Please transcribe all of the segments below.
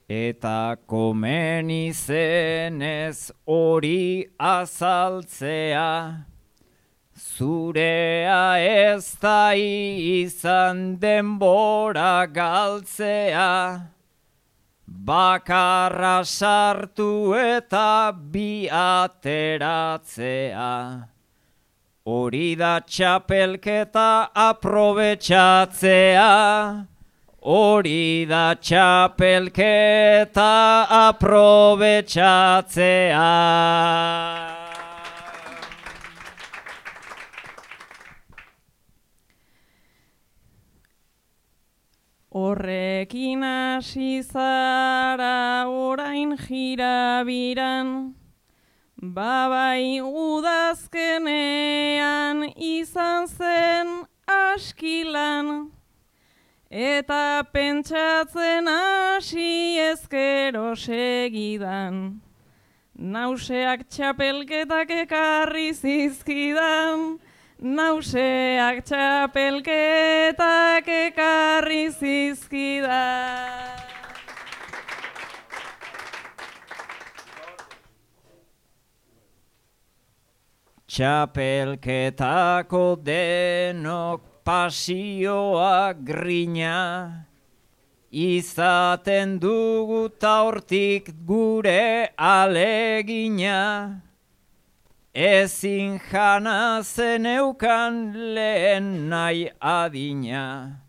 Eta komeni zenez hori azaltzea, zurea ez da izan denbora galtzea, bakarra sartu eta bi ateratzea. Hori da txapelketa aprobetxatzea, hori da txapelketa aprobetxatzea. Horrekin hasi zara orain jirabiran, babai udazkenean izan zen askilan, eta pentsatzen hasi ezkero segidan, nauseak txapelketak ekarri zizkidan, nauseak txapelketak ekarri zizkidan. Txapelketako denok pasioa grina, izaten dugu ta hortik gure alegina. Ezin jana zeneukan lehen nahi adina,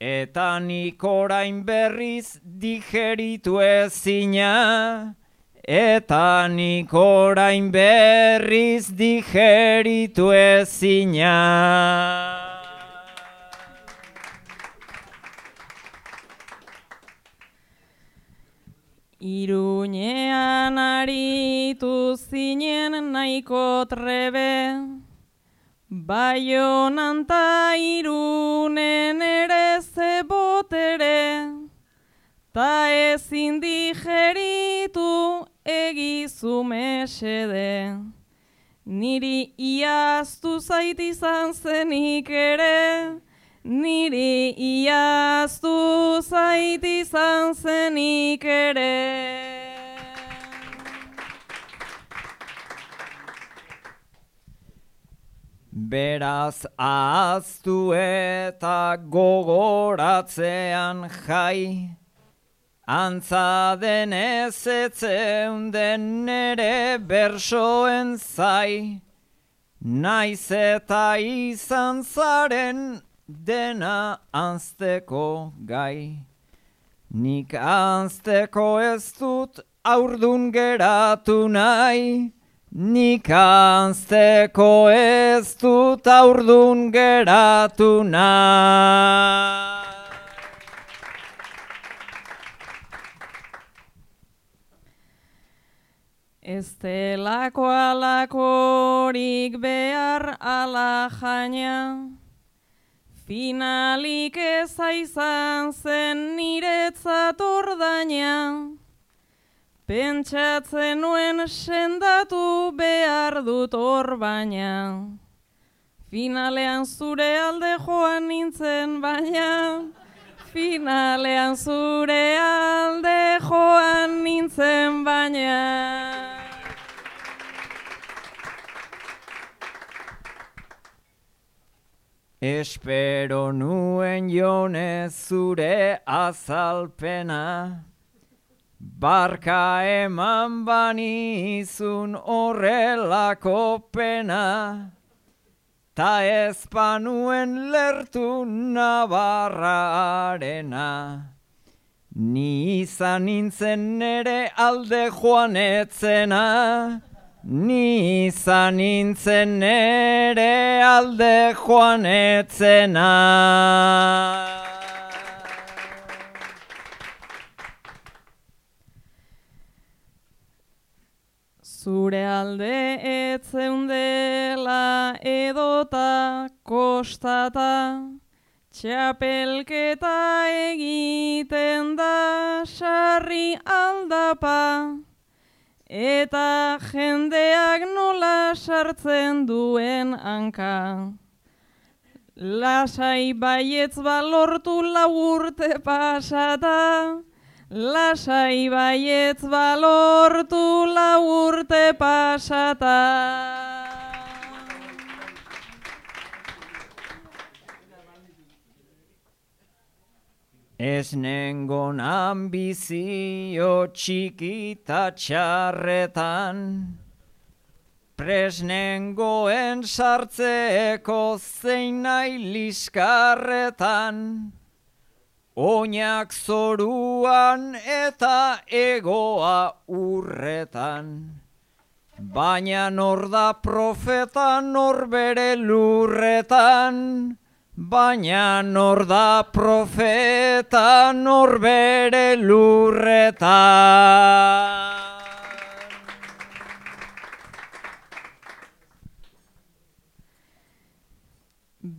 eta nik orain berriz digeritu ezina, eta nik orain berriz digeritu ezina. Iruñean aritu zinen nahiko trebe, Baionan ta Irunen ere zebotere, ta ezin digeritu egizu mesede. Niri iaztu zait izan zenik ere, niri iaztu zait izan zenik ere. Beraz ahaztu eta gogoratzean jai, antza denez etzeunden nere bersoen zai, naiz eta izan zaren dena anzteko gai. Nik anzteko ez dut haurdun geratu nahi, nik anzteko ez dut haurdun geratu nahi. Ez delako alakorik behar ala jaina, finalik ez izan zen niretzat ordaina, pentsatzen nuen sendatu behar dut hor baina, finalean zure alde joan nintzen baina, finalean zure alde joan nintzen baina. Espero nuen jonez zure azalpena, barka eman banizun horrelako pena, ta ez panuen lertu Navarrarena. Ni izan nintzen nere alde joan etzena, ni izan nintzen nere alde joan etzena. Zure alde etzeundela edota kostata, txapelketa egiten da sarri aldapa, eta jendeak nola sartzen duen hanka. Lasai baietz balortu 4 urte pasata, lasai baietz balortu 4 urte pasata. Ez nengon ambizio txikita txarretan, presnengoen sartzeko zein nahi liskarretan, oinak zoruan eta egoa urretan, baina nor da profeta nor bere lurretan, baina nor da profeta nor bere lurretan.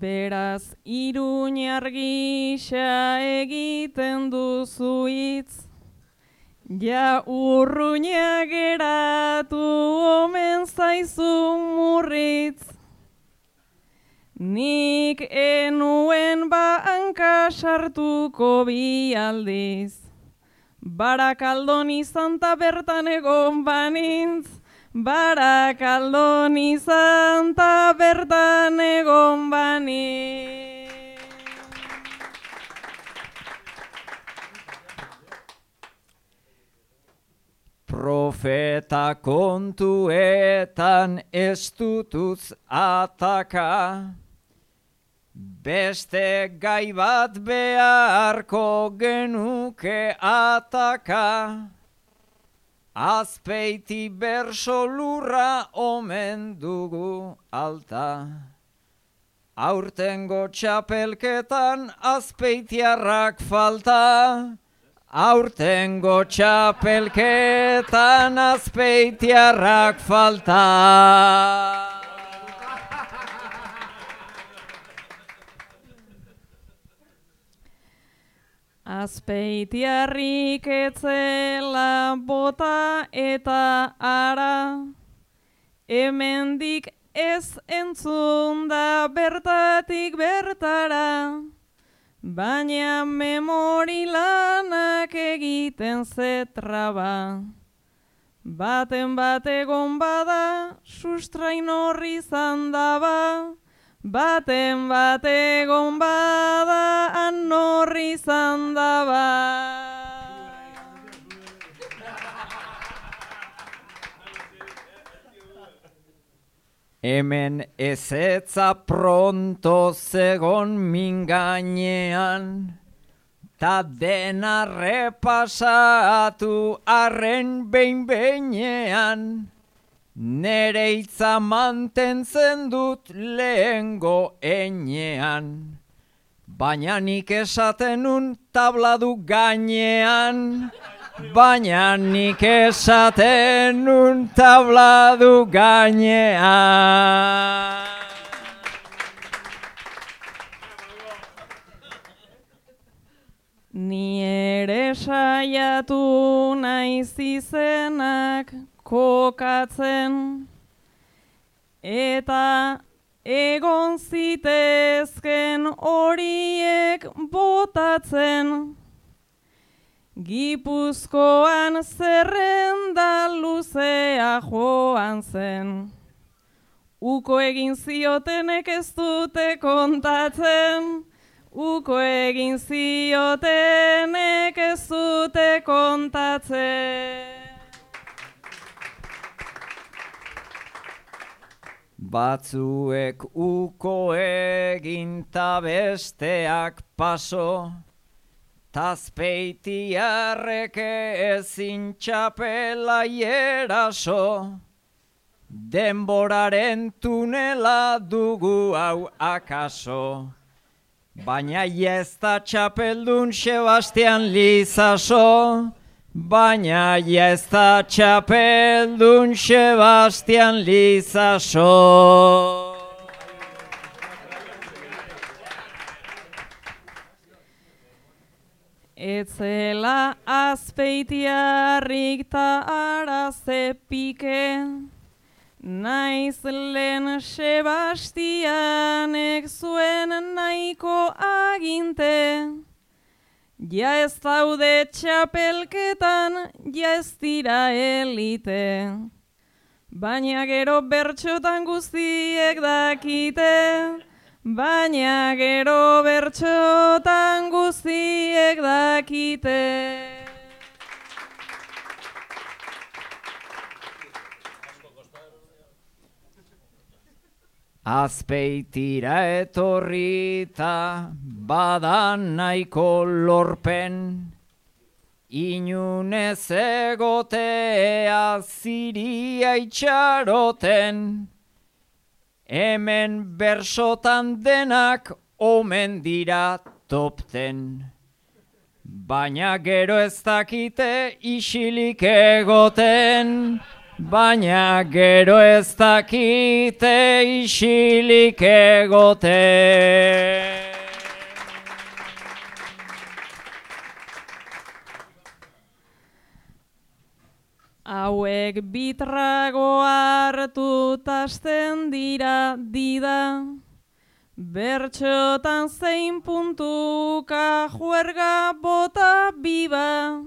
Beraz Iruñar gisa egiten duzu hitz, ja urruña geratu omen zaizu murritz. Nik enuen hanka sartuko 2 aldiz, Barakaldon izan ta bertan egon banintz, Barakaldon izan ta bertan egon banintz. Profeta kontuetan ez dutuz ataka, beste gai bat beharko genuke ataka, Azpeiti berso lurra omen dugu alta. Aurtengo txapelketan azpeitiarrak falta, aurtengo txapelketan azpeitiarrak falta. Azpeitiarrik etzela bota eta ara, hemendik ez entzun da bertatik bertara, baina memori lanak egiten zetraba. Baten bat egon bada, sustrain horri zandaba, baten bat egon bada, anorri zandaba. Hemen ezetza pronto zegon min gainean, ta dena repasatu arren behin-behinean, nere hitza mantentzen dut lehengo enean, baina nik esaten nun tabladu gainean, baina nik esaten nun tabladu gainean. Ni ere saiatu naiz izenak kokatzen, eta egon zitezken horiek botatzen. Gipuzkoan zerrenda luzea joan zen, uko egin ziotenek ez dute kontatzen, uko egin ziotenek ez dute kontatzen. Batzuek uko egin ta besteak paso, Azpeitiarrek ezin txapela eraso, denboraren tunela dugu hau akaso, baina ez da txapeldun Sebastian Lizaso, baina ez da txapeldun Sebastian Lizaso. Etzela azpeitiarrik ta araze pike, naiz lehen Sebastianek zuen nahiko aginte, Ja ez daude txapelketan, ja ez dira elite. Baina gero bertxotan guztiek dakite, baina gero bertxotan guztiek dakite. Azpeitira etorrita badan nahiko lorpen, inunez egotea ziria itxaroten, hemen bersotan denak omen dira topten. Baina gero ez dakite isilik egoten, baina gero ez dakite isilik egoten. Hauek bitrago hartu tasten dira dida, bertxotan zein puntuka juerga bota biba,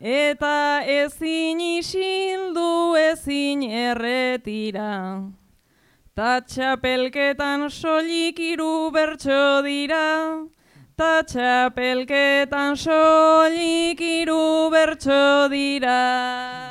eta ezin isildu ezin erretira. Ta txapelketan soilik 3 bertso dira, ta txapelketan soilik 3 bertso dira.